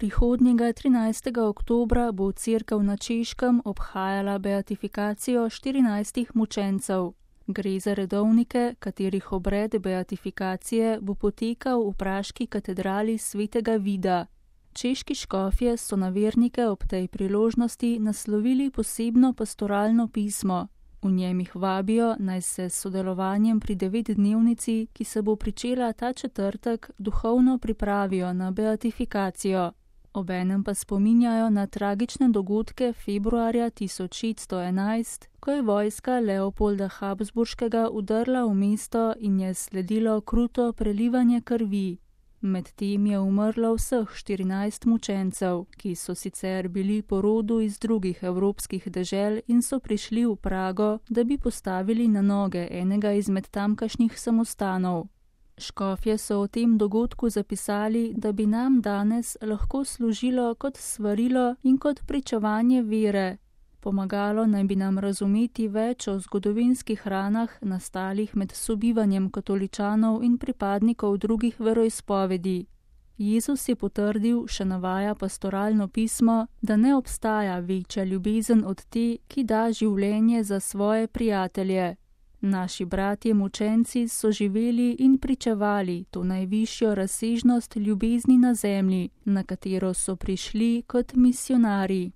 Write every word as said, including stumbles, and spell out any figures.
Prihodnjega trinajstega oktobra bo cerkev na Češkem obhajala beatifikacijo štirinajstih mučencev. Gre za redovnike, katerih obred beatifikacije bo potekal v praški katedrali svetega Vida. Češki škofje so na vernike ob tej priložnosti naslovili posebno pastoralno pismo. V njem jih vabijo, naj se s sodelovanjem pri devetdnevnici, ki se bo pričela ta četrtek, duhovno pripravijo na beatifikacijo. Obenem pa spominjajo na tragične dogodke februarja tisoč šeststo enajst, ko je vojska Leopolda Habsburškega vdrla v mesto in je sledilo kruto prelivanje krvi. Medtem je umrlo vseh štirinajst mučencev, ki so sicer bili po rodu iz drugih evropskih dežel in so prišli v Prago, da bi postavili na noge enega izmed tamkajšnjih samostanov. Škofje so o tem dogodku zapisali, da bi nam danes lahko služilo kot svarilo in kot pričevanje vere. Pomagalo naj bi nam razumeti več o zgodovinskih ranah, nastalih med sobivanjem katoličanov in pripadnikov drugih veroizpovedi. Jezus je potrdil, še navaja pastoralno pismo, da ne obstaja večja ljubezen od te, ki da življenje za svoje prijatelje. Naši bratje mučenci so živeli in pričevali to najvišjo razsežnost ljubezni na zemlji, na katero so prišli kot misionarji.